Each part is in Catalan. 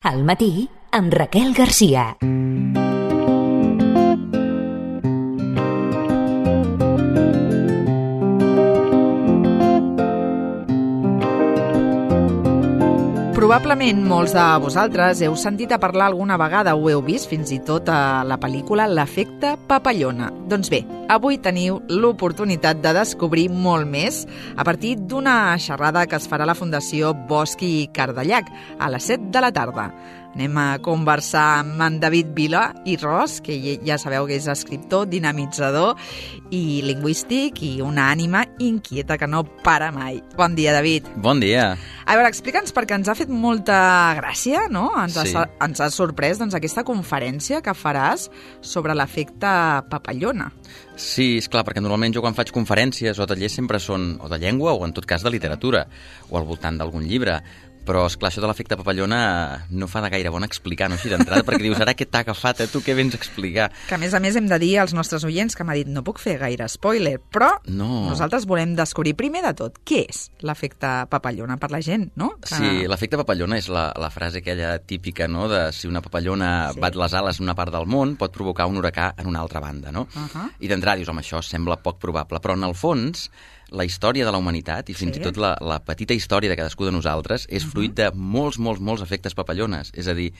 Al matí, amb Raquel Garcia. Probablement molts de vosaltres heu sentit a parlar alguna vegada o heu vist fins i tot a la pel·lícula L'efecte papallona. Doncs bé, avui teniu l'oportunitat de descobrir molt més a partir d'una xerrada que es farà a la Fundació Bosch i Cardellac a les 7 de la tarda. Anem a conversar amb en David Vila i Ros, que ja sabeu que és escriptor, dinamitzador i lingüístic i una ànima inquieta que no para mai. Bon dia, David. Bon dia. A veure, explica'ns, perquè ens ha fet molta gràcia, no? Ens ha sorprès aquesta conferència que faràs sobre l'efecte papallona. Sí, és clar, perquè normalment jo quan faig conferències o tallers sempre són o de llengua o en tot cas de literatura o al voltant d'algun llibre. Però, esclar, això de l'efecte papallona no fa de gaire bon explicar, no així d'entrada, perquè dius, ara què t'ha agafat, tu què vens a explicar? Que a més hem de dir als nostres oients que m'ha dit no puc fer gaire spoiler, però nosaltres volem descobrir primer de tot què és l'efecte papallona per la gent, no? Sí, l'efecte papallona és la frase aquella típica, no?, de si una papallona bat les ales en una part del món pot provocar un huracà en una altra banda, no? I d'entrada dius, home, això sembla poc probable, però en el fons la història de la humanitat i fins i tot la petita història de cadascú de nosaltres és fruit de molts efectes papallones. És a dir,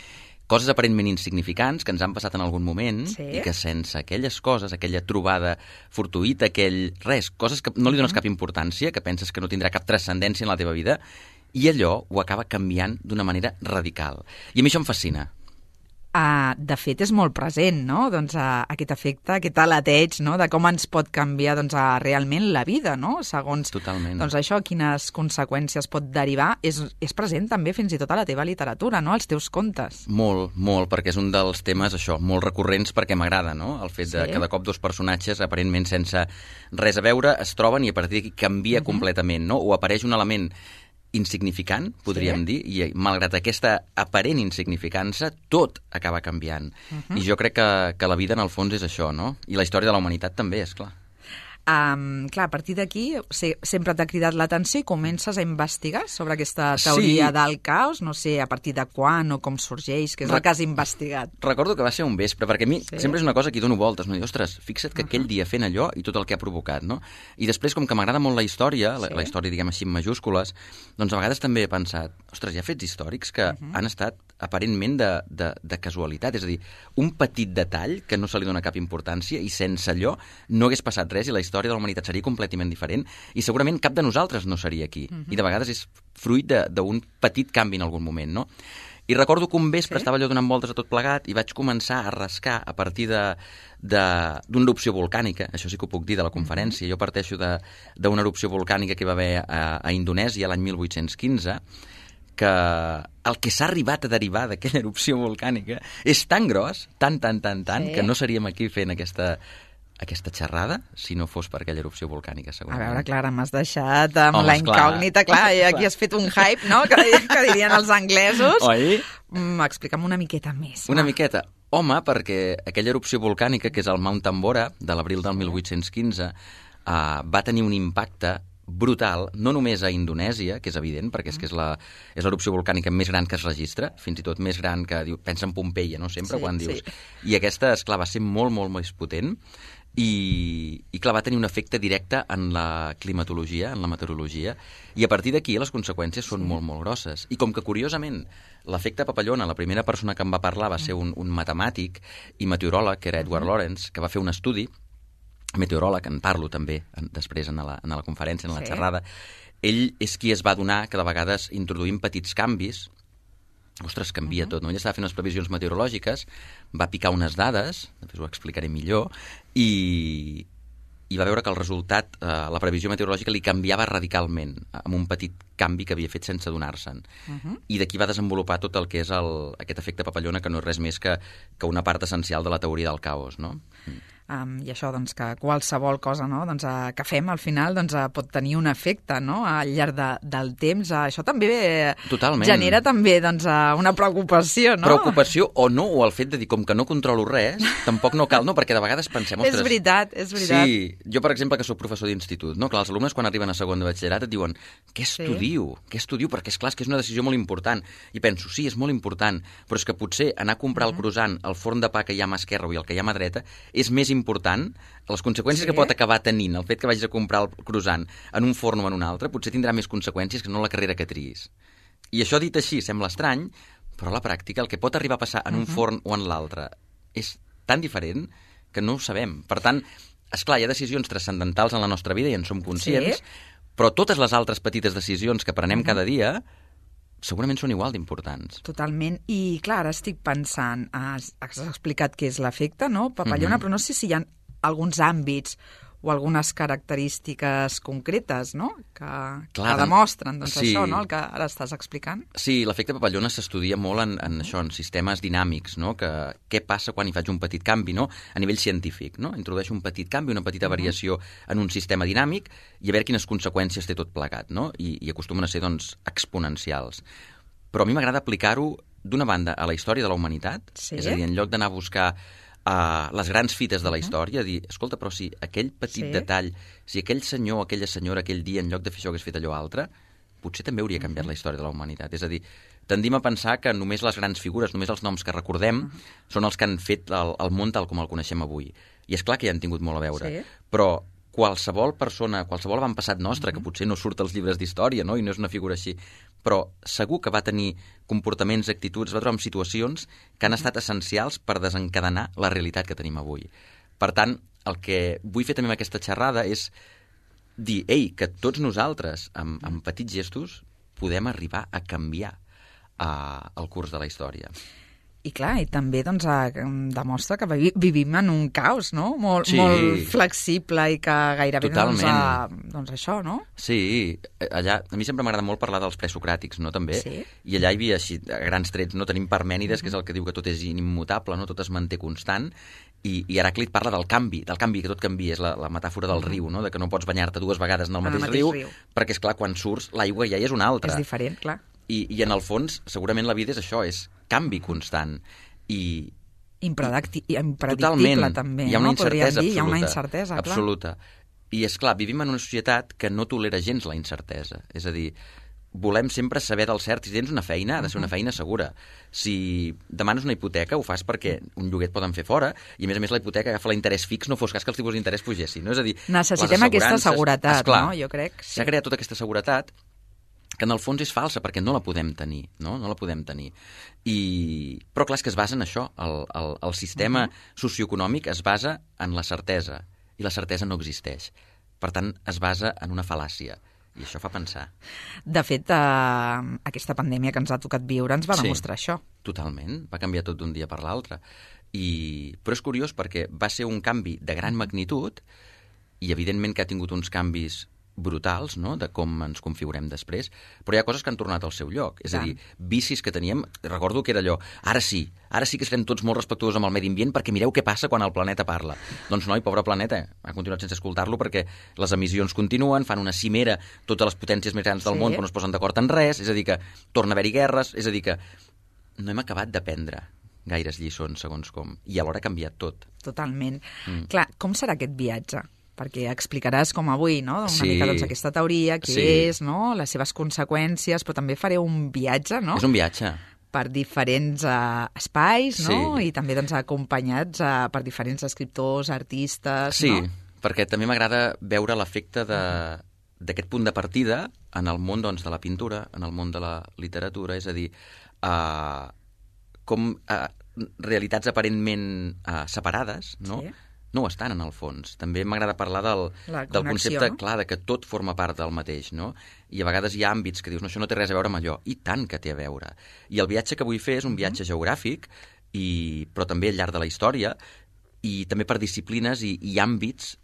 coses aparentment insignificants que ens han passat en algun moment i que sense aquelles coses, aquella trobada fortuïta, coses que no li dones cap importància, que penses que no tindrà cap transcendència en la teva vida, i allò ho acaba canviant d'una manera radical. I a mi això em fascina. De fet, és molt present, no?, aquest efecte, aquest aleteig, no?, de com ens pot canviar realment la vida, no?, segons això, quines conseqüències pot derivar. És present també fins i tot a la teva literatura, no?, als teus contes. Molt, perquè és un dels temes, això, molt recurrents perquè m'agrada, no?, el fet de que de cop dos personatges, aparentment sense res a veure, es troben i a partir d'aquí canvia completament, no?, o apareix un element insignificant, podríem dir, i malgrat aquesta aparent insignificança, tot acaba canviant. I jo crec que la vida, en el fons, és això, no? I la història de la humanitat també, és clar. Clar, a partir d'aquí sempre t'ha cridat l'atenció i comences a investigar sobre aquesta teoria del caos, no sé a partir de quan o com sorgeix, que és el que has investigat. Recordo que va ser un vespre, perquè a mi sempre és una cosa que hi dono voltes, no? Ostres, fixa't que aquell dia fent allò i tot el que ha provocat, no? I després, com que m'agrada molt la història, la història, diguem així, en majúscules, doncs a vegades també he pensat, ostres, hi ha fets històrics que han estat aparentment de casualitat, és a dir, un petit detall que no se li dona cap importància i sense allò no hagués passat res i la història de la humanitat seria completament diferent i segurament cap de nosaltres no seria aquí. I de vegades és fruit d'un petit canvi en algun moment, no? I recordo que un vespre estava allò donant voltes a tot plegat i vaig començar a rascar a partir d'una erupció volcànica, això sí que ho puc dir de la conferència. Jo parteixo d'una erupció volcànica que hi va haver a Indonèsia l'any 1815, que el que s'ha arribat a derivar d'aquella erupció volcànica és tan gros, tan, que no seríem aquí fent aquesta xerrada si no fos per aquella erupció volcànica, segurament. A veure, Clara, m'has deixat amb la incògnita. Clar, i aquí has fet un hype, no?, que dirien els anglesos. Oi? Explica'm una miqueta més. Una miqueta. Home, perquè aquella erupció volcànica, que és el Mount Tambora, de l'abril del 1815, va tenir un impacte brutal, no només a Indonèsia, que és evident, perquè és l'erupció volcànica més gran que es registra, fins i tot més gran que... Pensa en Pompeia, no?, sempre, quan dius... I aquesta, esclar, va ser molt més potent i clar, va tenir un efecte directe en la climatologia, en la meteorologia, i a partir d'aquí les conseqüències són molt grosses. I com que, curiosament, l'efecte papallona, la primera persona que em va parlar va ser un matemàtic i meteoròleg, que era Edward Lorenz, que va fer un estudi, meteoròleg, en parlo també després en la conferència, en la xerrada. Ell és qui es va adonar que de vegades introduint petits canvis, ostres, canvia tot, no? Ell estava fent unes previsions meteorològiques, va picar unes dades, després ho explicaré millor, i va veure que el resultat, la previsió meteorològica li canviava radicalment, amb un petit canvi que havia fet sense adonar-se'n. I d'aquí va desenvolupar tot el que és aquest efecte papallona, que no és res més que una part essencial de la teoria del caos, no? I això, doncs, que qualsevol cosa, no?, doncs, que fem al final doncs, pot tenir un efecte, no?, al llarg del temps. Això també genera també doncs, una preocupació, no? Preocupació o no, o el fet de dir, com que no controlo res, tampoc no cal, no? Perquè de vegades pensem, ostres... És veritat. Sí, jo, per exemple, que soc professor d'institut, no? Clar, els alumnes quan arriben a segon de batxillerat et diuen què estudio? Perquè és clar, que és una decisió molt important. I penso, sí, és molt important, però és que potser anar a comprar el croissant, el forn de pa que hi ha a mà esquerra i el que hi ha a mà dreta, és més important, les conseqüències que pot acabar tenint el fet que vagis a comprar el croissant en un forn o en un altre, potser tindrà més conseqüències que no la carrera que triïs. I això dit així sembla estrany, però a la pràctica el que pot arribar a passar en un forn o en l'altre és tan diferent que no ho sabem. Per tant, esclar, hi ha decisions transcendentals en la nostra vida i en som conscients, però totes les altres petites decisions que prenem cada dia segurament són igual d'importants. Totalment. I, clar, ara estic pensant, has explicat què és l'efecte, no?, papallona, però no sé si hi ha alguns àmbits o algunes característiques concretes, no?, que demostren doncs, això, no?, el que ara estàs explicant. Sí, l'efecte papallona s'estudia molt en això, en sistemes dinàmics, no?, que què passa quan hi faig un petit canvi, no?, a nivell científic, no?, introdueixo un petit canvi, una petita variació en un sistema dinàmic i a veure quines conseqüències té tot plegat, no?, i acostumen a ser, doncs, exponencials. Però a mi m'agrada aplicar-ho, d'una banda, a la història de la humanitat, és a dir, en lloc d'anar a buscar les grans fites de la història, dir, escolta, però si aquell petit detall, si aquell senyor o aquella senyora aquell dia, en lloc de fer això, hagués fet allò altre, potser també hauria canviat la història de la humanitat. És a dir, tendim a pensar que només les grans figures, només els noms que recordem, són els que han fet el món tal com el coneixem avui. I és clar que hi han tingut molt a veure. Però qualsevol persona, qualsevol avantpassat nostre, que potser no surt als llibres d'història, no?, i no és una figura així, però segur que va tenir comportaments, actituds, va trobar en situacions que han estat essencials per desencadenar la realitat que tenim avui. Per tant, el que vull fer també amb aquesta xerrada és dir, ei, que tots nosaltres, amb petits gestos, podem arribar a canviar el curs de la història. I clar, i també doncs, demostra que vivim en un caos, no?, molt flexible i que gairebé doncs això, no? Sí, allà, a mi sempre m'agrada molt parlar dels presocràtics, no?, també, i allà hi havia així, a grans trets, no?, tenim Parmènides, que és el que diu que tot és immutable, no?, tot es manté constant, i Heràclit parla del canvi, que tot canvia, és la metàfora del riu, no?, de que no pots banyar-te dues vegades en el mateix riu, perquè, és clar, quan surts, l'aigua ja és una altra. És diferent, clar. I en el fons, segurament la vida és això, és canvi constant. Impredictible, també. Hi ha una incertesa absoluta. Hi ha una incertesa, clar. Absoluta. I, és clar, vivim en una societat que no tolera gens la incertesa. És a dir, volem sempre saber del cert. Si tens una feina, ha de ser una feina segura. Si demanes una hipoteca, ho fas perquè un lloguer et poden fer fora, i a més la hipoteca agafa l'interès fix, no fos cas que els tipus d'interès pugessin. No? És a dir, necessitem aquesta seguretat, no? Jo crec. S'ha creat tota aquesta seguretat que en el fons és falsa, perquè no la podem tenir, no? No la podem tenir. Però clar, és que es basa en això. El sistema socioeconòmic es basa en la certesa, i la certesa no existeix. Per tant, es basa en una fal·làcia, i això fa pensar. De fet, aquesta pandèmia que ens ha tocat viure ens va demostrar això. Totalment, va canviar tot d'un dia per l'altre. Però és curiós perquè va ser un canvi de gran magnitud, i evidentment que ha tingut uns canvis brutals, no?, de com ens configurem després, però hi ha coses que han tornat al seu lloc. És a dir, vicis que teníem, recordo que era allò, ara sí que serem tots molt respectuosos amb el medi ambient perquè mireu què passa quan el planeta parla. Doncs noi, pobre planeta, ha continuat sense escoltar-lo perquè les emissions continuen, fan una cimera totes les potències més grans del món però no es posen d'acord en res, és a dir que torna a haver-hi guerres, és a dir que no hem acabat d'aprendre gaires lliçons, segons com, i alhora ha canviat tot. Totalment. Clar, com serà aquest viatge? Perquè explicaràs com avui, no?, una mica doncs, aquesta teoria, què és, no?, les seves conseqüències, però també fareu un viatge, no? És un viatge. Per diferents espais, no? I també doncs, acompanyats per diferents escriptors, artistes, no? Sí, perquè també m'agrada veure l'efecte d'aquest punt de partida en el món doncs, de la pintura, en el món de la literatura, és a dir, com realitats aparentment separades, no?, no ho estan, en el fons. També m'agrada parlar del concepte, clar, de que tot forma part del mateix, no? I a vegades hi ha àmbits que dius, no, això no té res a veure amb allò. I tant que té a veure. I el viatge que vull fer és un viatge geogràfic, però també al llarg de la història, i també per disciplines i àmbits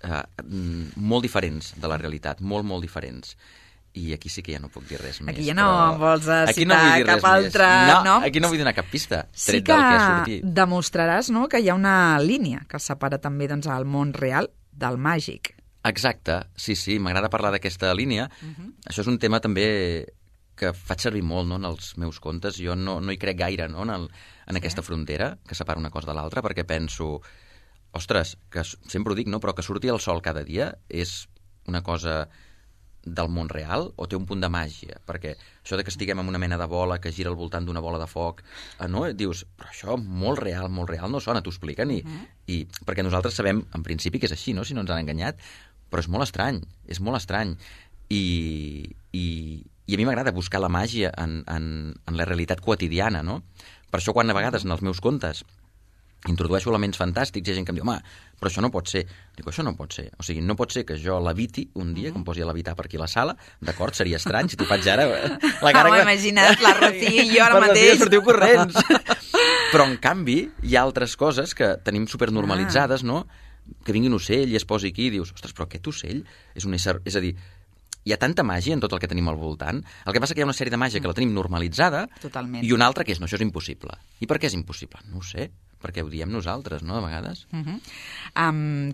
molt diferents de la realitat, molt, molt diferents. i aquí sí que ja no puc dir res més. Aquí ja no vols citar cap altre nom. Aquí no vull donar cap pista, Sí tret del que surti. demostraràs, no?, que hi ha una línia que separa també doncs, el món real del màgic. Exacte, sí, m'agrada parlar d'aquesta línia. Això és un tema també que faig servir molt, no?, en els meus contes. Jo no hi crec gaire, no?, en aquesta frontera que separa una cosa de l'altra, perquè penso, ostres, que sempre ho dic, no?, però que surti el sol cada dia és una cosa del món real o té un punt de màgia? Perquè això de que estiguem en una mena de bola que gira al voltant d'una bola de foc, no? Dius, però això molt real no sona, t'ho expliquen, i perquè nosaltres sabem, en principi, que és així, no?, si no ens han enganyat, però és molt estrany, i a mi m'agrada buscar la màgia en la realitat quotidiana, no? Per això quan a vegades en els meus contes introdueixo elements fantàstics, hi ha gent que em diu, home, però això no pot ser. Dic, això no pot ser. O sigui, no pot ser que jo leviti un dia, que em posi a levitar per aquí a la sala, d'acord? Seria estrany si t'ho faig ara. La cara M'ho he imaginat, la Rocío i jo ara mateix. Per sortiu corrents. Però, en canvi, hi ha altres coses que tenim supernormalitzades, no? Que vingui un ocell i es posi aquí i dius, ostres, però aquest ocell és un ésser... És a dir, hi ha tanta màgia en tot el que tenim al voltant. El que passa que hi ha una sèrie de màgia que la tenim normalitzada. Totalment. I una altra que és, no, això és impossible. I per què és impossible? No ho sé, perquè ho diem nosaltres, no?, de vegades.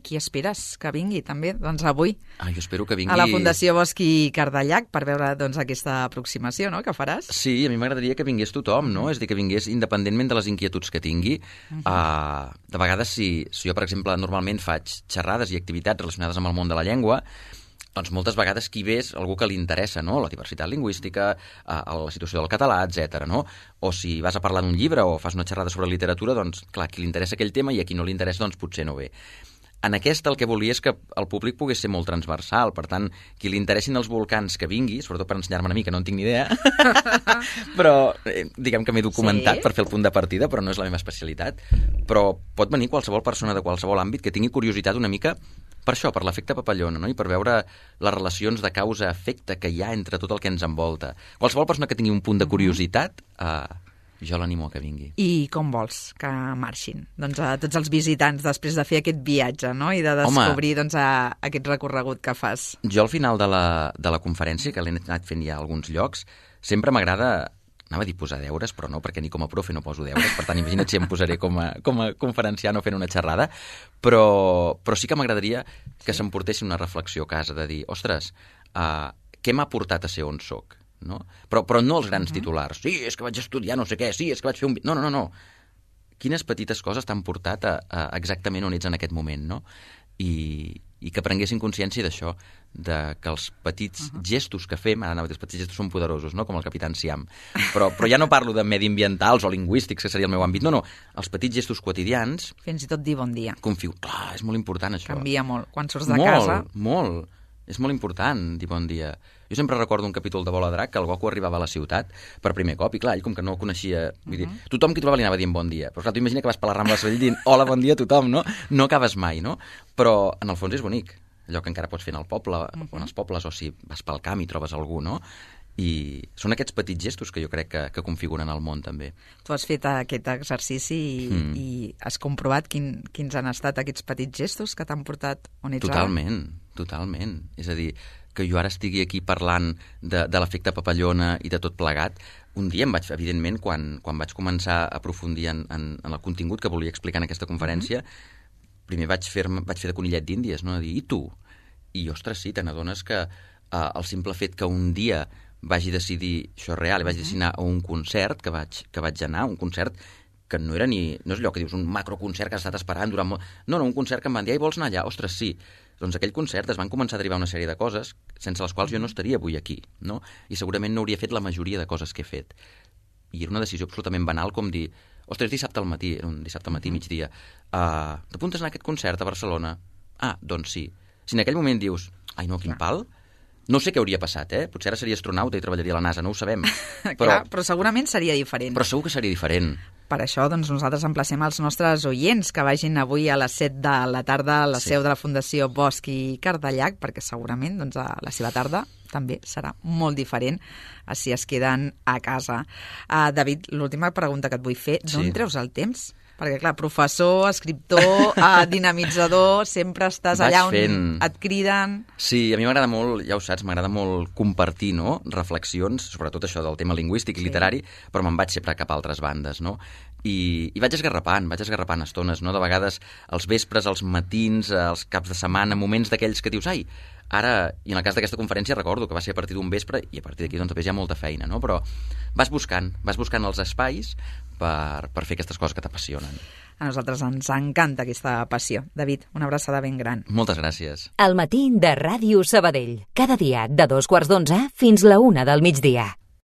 Qui esperes que vingui, també, doncs avui, Jo espero que vingui... a la Fundació Bosch i Cardellac, per veure doncs, aquesta aproximació, no?, que faràs? Sí, a mi m'agradaria que vingués tothom, no? És a dir, que vingués independentment de les inquietuds que tingui. De vegades, si jo, per exemple, normalment faig xerrades i activitats relacionades amb el món de la llengua, doncs moltes vegades qui ve és algú que li interessa, no?, la diversitat lingüística, la situació del català, etc. no? O si vas a parlar d'un llibre o fas una xerrada sobre literatura, doncs, clar, qui li interessa aquell tema i a qui no li interessa, doncs potser no ve. En aquesta el que volia és que el públic pogués ser molt transversal, per tant, qui li interessin els volcans que vingui, sobretot per ensenyar-me a mi, que no en tinc ni idea, però diguem que m'he documentat per fer el punt de partida, però no és la meva especialitat, però pot venir qualsevol persona de qualsevol àmbit que tingui curiositat una mica per això, per l'efecte papallona, no?, i per veure les relacions de causa-efecte que hi ha entre tot el que ens envolta. Qualsevol persona que tingui un punt de curiositat, jo l'animo a que vingui. I com vols que marxin? Doncs a tots els visitants després de fer aquest viatge, no?, i de descobrir doncs, aquest recorregut que fas. Jo al final de la conferència, que l'he anat fent ja a alguns llocs, sempre m'agrada... Anava a dir posar deures, però no, perquè ni com a profe no poso deures, per tant, imagina't si em posaré com a conferenciant o fent una xerrada, però sí que m'agradaria que s'emportessin una reflexió a casa de dir, ostres, què m'ha portat a ser on soc? No? Però no els grans titulars. Sí, és que vaig estudiar no sé què, sí, és que vaig fer un... No. Quines petites coses t'han portat a exactament on ets en aquest moment, no? I que prenguessin consciència d'això, que els petits gestos que fem, ara anava a dir, els petits gestos són poderosos, no?, com el Capitán Siam, però ja no parlo de mediambientals o lingüístics, que seria el meu àmbit, no, els petits gestos quotidians... Fins i tot dir bon dia. Clar, és molt important això. Canvia molt. Quan surts de casa... Molt. És molt important dir bon dia. Jo sempre recordo un capítol de Bola de Drac que el Goku arribava a la ciutat per primer cop i clar, ell com que no coneixia... Vull dir, tothom que trobava li anava dient bon dia. Però clar, tu imagina que vas per la Rambla de Sabadell dient hola, bon dia a tothom, no? No acabes mai, no? Però en el fons és bonic. Allò que encara pots fer en el poble o en els pobles o si vas pel camp i trobes algú, no? I són aquests petits gestos que jo crec que configuren el món, també. Tu has fet aquest exercici i has comprovat quins han estat aquests petits gestos que t'han portat on ets ara? Totalment. És a dir, que jo ara estigui aquí parlant de l'efecte papallona i de tot plegat, un dia em vaig, evidentment, quan vaig començar a aprofundir en el contingut que volia explicar en aquesta conferència, primer vaig fer de conillet d'Índies, no? A dir, i tu? I, ostres, sí, te n'adones que el simple fet que un dia vagi decidir, això és real, i vaig decidir anar a un concert que vaig anar, un concert que no és allò que dius, un macroconcert que has estat esperant durant molt... No, un concert que em van dir, vols anar allà? Ostres, sí. Doncs aquell concert es van començar a derivar una sèrie de coses sense les quals jo no estaria avui aquí, no? I segurament no hauria fet la majoria de coses que he fet. I era una decisió absolutament banal com dir, ostres, dissabte al matí, era un dissabte al matí, migdia, t'apuntes a anar a aquest concert a Barcelona? Ah, doncs sí. Si en aquell moment dius, ai no, quin pal... No sé què hauria passat, Potser ara seria astronauta i treballaria a la NASA, no ho sabem. Però segurament seria diferent. Però segur que seria diferent. Per això, doncs, nosaltres emplacem els nostres oients que vagin avui a les 7 de la tarda a la seu de la Fundació Bosch i Cardellac, perquè segurament doncs, la seva tarda també serà molt diferent si es queden a casa. David, l'última pregunta que et vull fer, d'on treus el temps Perquè, clar, professor, escriptor, dinamitzador, sempre estàs allà on et criden. Sí, a mi m'agrada molt, ja ho saps, m'agrada molt compartir, no?, reflexions, sobretot això del tema lingüístic i literari, però me'n vaig sempre cap a altres bandes, no? I vaig esgarrapant estones, no? De vegades als vespres, als matins, als caps de setmana, moments d'aquells que dius, ai, ara, i en el cas d'aquesta conferència recordo que va ser a partir d'un vespre i a partir d'aquí doncs hi ha molta feina, no? Però vas buscant els espais per fer aquestes coses que t'apassionen. A nosaltres ens encanta aquesta passió. David, una abraçada ben gran. Moltes gràcies. El matí de Ràdio Sabadell. Cada dia de 2:15 fins la 1 del migdia.